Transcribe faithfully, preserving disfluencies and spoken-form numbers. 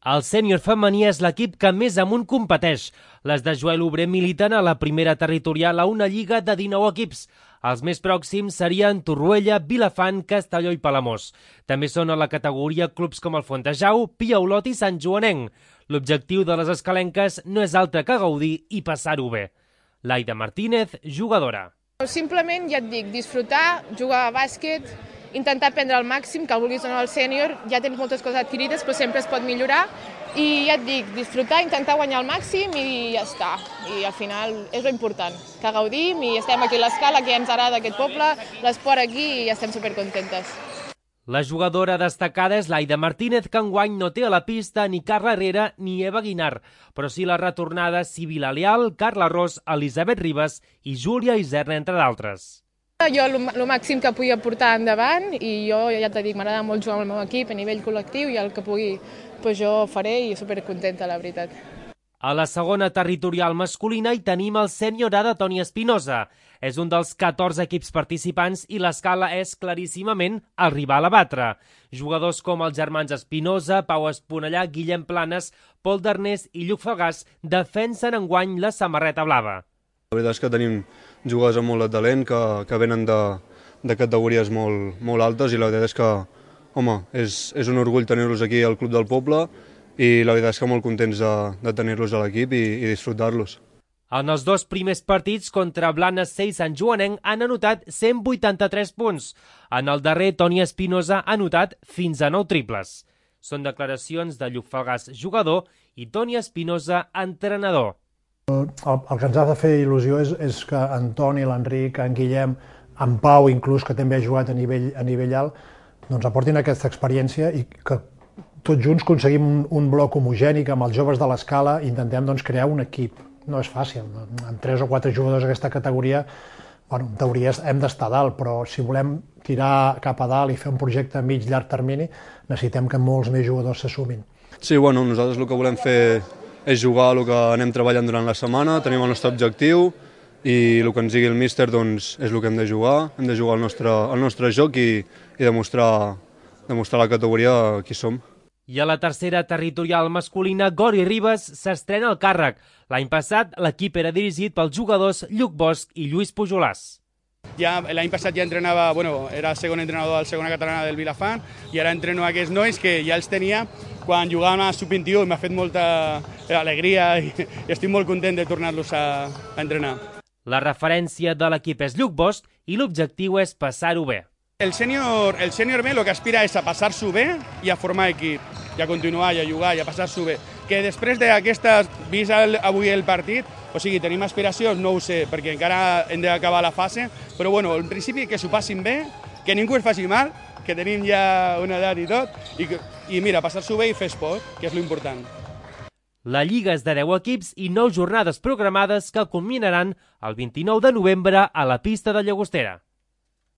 El sènior femení és l'equip que més amunt competeix. Les de Joel Obrer militen a la primera territorial a una lliga de dinou equips. Els més pròxims serien Torroella, Vilafant, Castelló i Palamós. També són a la categoria clubs com el Fontejau, Pia Olot i Sant Joanenc. L'objectiu de les escalenques no és altre que gaudir i passar-ho bé. Laida Martínez, jugadora. Simplement, ja et dic, disfrutar, jugar a bàsquet, intentar aprendre al màxim, que el vulguis o no al sènior, ja tens moltes coses adquirides, però sempre es pot millorar. I ja et dic, disfrutar, intentar guanyar al màxim i ja està. I al final és lo important, que gaudim i estem aquí a l'Escala, que ja ens agrada aquest poble, l'esport aquí i ja estem supercontentes. La jugadora destacada és Laida Martínez, que enguany no té a la pista ni Carla Herrera ni Eva Guinar, però sí la retornada Sibila Leal, Carla Ros, Elisabet Ribas i Júlia Iserna, entre d'altres. Jo el màxim que pugui portar endavant i jo ja t'he dit, m'agrada molt jugar amb el meu equip a nivell col·lectiu i el que pugui doncs jo faré i supercontenta, la veritat. A la segona territorial masculina hi tenim el sènior A de Toni Espinosa. És un dels catorze equips participants i l'escala és claríssimament el rival a batre. Jugadors com els germans Espinosa, Pau Esponellà, Guillem Planes, Pol Darnés i Lluc Falgàs defensen enguany la samarreta blava. La veritat és que tenim jugadors amb molt de talent que, que venen de, de categories molt, molt altes i la veritat és que, home, és, és un orgull tenir-los aquí al Club del Poble i la veritat és que molt contents de, de tenir-los a l'equip i, i disfrutar-los. En els dos primers partits contra Blanes C i Sant Joanenc han anotat cent vuitanta-tres punts. En el darrer, Toni Espinosa ha anotat fins a nou triples. Són declaracions de Lluc Falgàs, jugador, i Toni Espinosa, entrenador. El, el que ens ha de fer il·lusió és, és que en Toni, l'Enric, en Guillem, en Pau, inclús, que també ha jugat a nivell, a nivell alt, doncs aportin aquesta experiència i que tots junts aconseguim un, un bloc homogènic amb els joves de l'escala i intentem doncs, crear un equip. No és fàcil, amb tres o quatre jugadors d'aquesta categoria, bueno, en teoria hem d'estar dalt, però si volem tirar cap a dalt i fer un projecte a mig llarg termini, necessitem que molts més jugadors s'assumin. Sí, bueno, nosaltres el que volem fer és jugar el que anem treballant durant la setmana, tenim el nostre objectiu i el que ens digui el míster doncs, és el que hem de jugar, hem de jugar el nostre, el nostre joc i, i demostrar, demostrar a la categoria qui som. I a la tercera territorial masculina, Gori Ribas s'estrena al càrrec. L'any passat, l'equip era dirigit pels jugadors Lluc Bosch i Lluís Pujolàs. Ja, l'any passat ja entrenava, bueno, era segon entrenador de la segona catalana del Vilafant i ara entreno aquests nois que ja els tenia quan jugaven a sub vint-i-u i m'ha fet molta alegria i, i estic molt content de tornar-los a, a entrenar. La referència de l'equip és Lluc Bosch i l'objectiu és passar-ho bé. El sènior el sènior B el que aspira és a passar-s'ho bé i a formar equip, i a continuar, i a jugar, i a passar-s'ho bé. Que després d'aquestes, vist el, avui el partit, o sigui, tenim aspiracions, no ho sé, perquè encara hem d'acabar la fase, però bueno, en principi que s'ho passin bé, que ningú es faci mal, que tenim ja una edat i tot, i, i mira, passar-s'ho bé i fer esport, que és l'important. La lliga és de deu equips i nou jornades programades que culminaran el vint-i-nou de novembre a la pista de Llagostera.